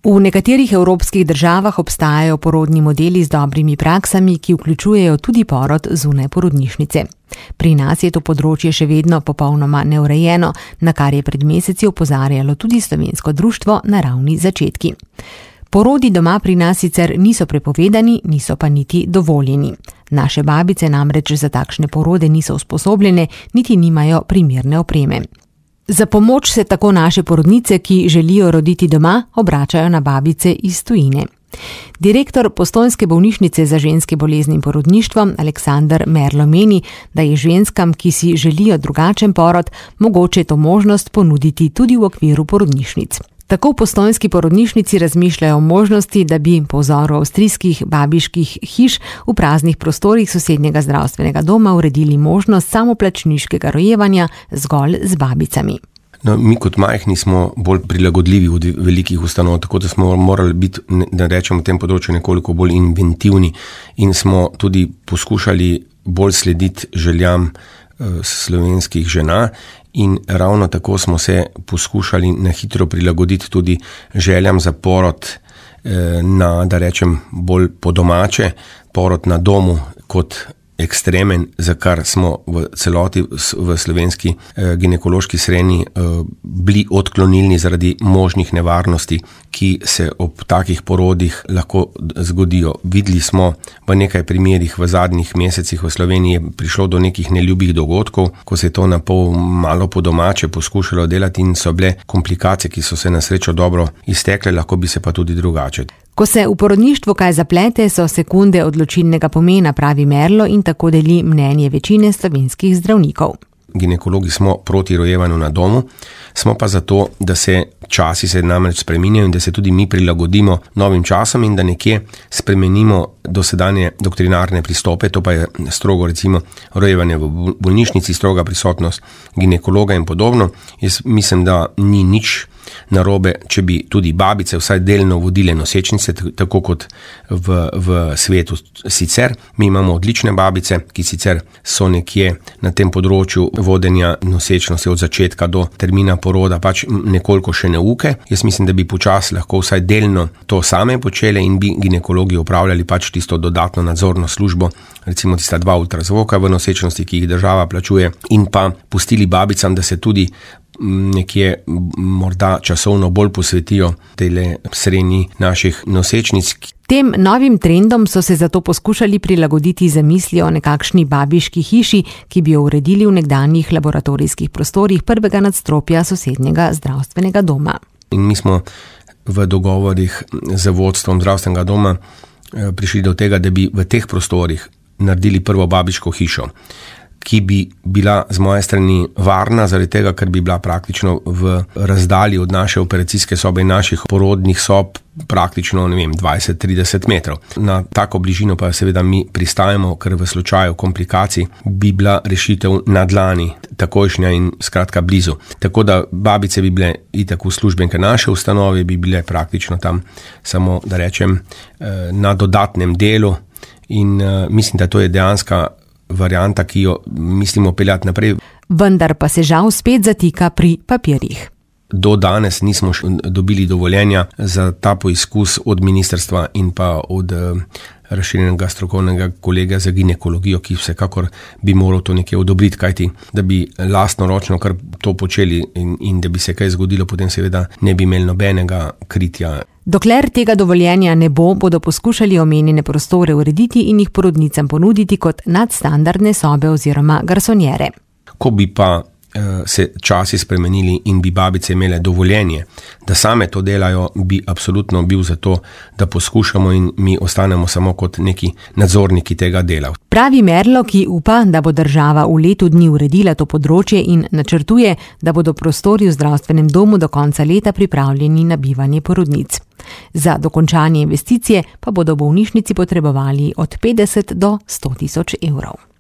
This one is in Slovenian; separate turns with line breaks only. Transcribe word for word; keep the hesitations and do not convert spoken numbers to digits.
V nekaterih evropskih državah obstajajo porodni modeli z dobrimi praksami, ki vključujejo tudi porod zunaj porodnišnice. Pri nas je to področje še vedno popolnoma neurejeno, na kar je pred meseci opozarjalo tudi Slovensko društvo Naravni začetki. Porodi doma pri nas sicer niso prepovedani, niso pa niti dovoljeni. Naše babice namreč za takšne porode niso usposobljene, niti nimajo primerne opreme. Za pomoč se tako naše porodnice, ki želijo roditi doma, obračajo na babice iz tujine. Direktor Postojnske bolnišnice za ženske bolezni in porodništvo Aleksander Merlo meni, da je ženskam, ki si želijo drugačen porod, mogoče to možnost ponuditi tudi v okviru porodnišnic. Tako v postojnski porodnišnici razmišljajo o možnosti, da bi po vzoru avstrijskih babiških hiš v praznih prostorih sosednjega zdravstvenega doma uredili možnost samoplačniškega rojevanja zgolj z babicami.
No, mi kot majhni smo bolj prilagodljivi od velikih ustanov, tako da smo morali biti, da rečemo, v tem področju nekoliko bolj inventivni in smo tudi poskušali bolj slediti željam slovenskih žena. In ravno tako smo se poskušali na hitro prilagoditi tudi željam za porod na, da rečem, bolj po domače, porod na domu kot ekstremen, za kar smo v celoti v slovenski ginekološki srenji bili odklonilni zaradi možnih nevarnosti, ki se ob takih porodih lahko zgodijo. Videli smo v nekaj primerih v zadnjih mesecih v Sloveniji prišlo do nekih neljubih dogodkov, ko se je to na pol malo po domače poskušalo delati in so bile komplikacije, ki so se na srečo dobro iztekle, lahko bi se pa tudi drugače.
Ko se v porodništvu kaj zaplete, so sekunde odločilnega pomena, pravi Merlo, in tako deli mnenje večine slovenskih zdravnikov.
Ginekologi smo proti rojevanju na domu, smo pa zato, da se časi se namreč spreminjajo in da se tudi mi prilagodimo novim časom in da nekje spremenimo dosedanje doktrinarne pristope, to pa je strogo recimo rojevanje v bolnišnici, stroga prisotnost ginekologa in podobno. Jaz mislim, da ni nič narobe, če bi tudi babice vsaj delno vodile nosečnice, tako kot v, v svetu sicer. Mi imamo odlične babice, ki sicer so nekje na tem področju vodenja nosečnosti od začetka do termina poroda pač nekoliko še neuke. Jaz mislim, da bi počasi lahko vsaj delno to same počele in bi ginekologi opravljali pač tisto dodatno nadzorno službo, recimo tista dva ultrazvoka v nosečnosti, ki jih država plačuje, in pa pustili babicam, da se tudi nekje morda časovno bolj posvetijo tele srenji naših nosečnic.
Tem novim trendom so se zato poskušali prilagoditi zamisli o nekakšni babiški hiši, ki bi jo uredili v nekdanjih laboratorijskih prostorih prvega nadstropja sosednjega zdravstvenega doma.
In mi smo v dogovorih z vodstvom zdravstvenega doma prišli do tega, da bi v teh prostorih naredili prvo babiško hišo, ki bi bila z moje strani varna, zaradi tega, ker bi bila praktično v razdalji od naše operacijske sobe in naših porodnih sob praktično, ne vem, dvajset do trideset metrov. Na tako bližino pa seveda mi pristajamo, ker v slučaju komplikacij bi bila rešitev na dlani, takojšnja in skratka blizu. Tako da babice bi bile itak uslužbenke naše ustanove, bi bile praktično tam samo, da rečem, na dodatnem delu in mislim, da to je dejanska varianta, ki jo mislimo peljati naprej.
Vendar pa se žal spet zatika pri papirjih.
Do danes nismo dobili dovoljenja za ta poizkus od ministrstva in pa od razširjenega strokovnega kolega za ginekologijo, ki vsekakor bi moral to nekje odobriti, kajti da bi lastnoročno kar to počeli in, in da bi se kaj zgodilo, potem seveda ne bi imeli nobenega kritja.
Dokler tega dovoljenja ne bo, bodo poskušali omenjene prostore urediti in jih porodnicam ponuditi kot nadstandardne sobe oziroma garsonjere.
Ko bi pa se časi spremenili in bi babice imele dovoljenje, da same to delajo, bi absolutno bil za to, da poskušamo in mi ostanemo samo kot neki nadzorniki tega dela.
Pravi Merlo, ki upa, da bo država v letu dni uredila to področje in načrtuje, da bodo prostori v zdravstvenem domu do konca leta pripravljeni na bivanje porodnic. Za dokončanje investicije pa bodo v bolnišnici potrebovali od petdeset do sto tisoč evrov.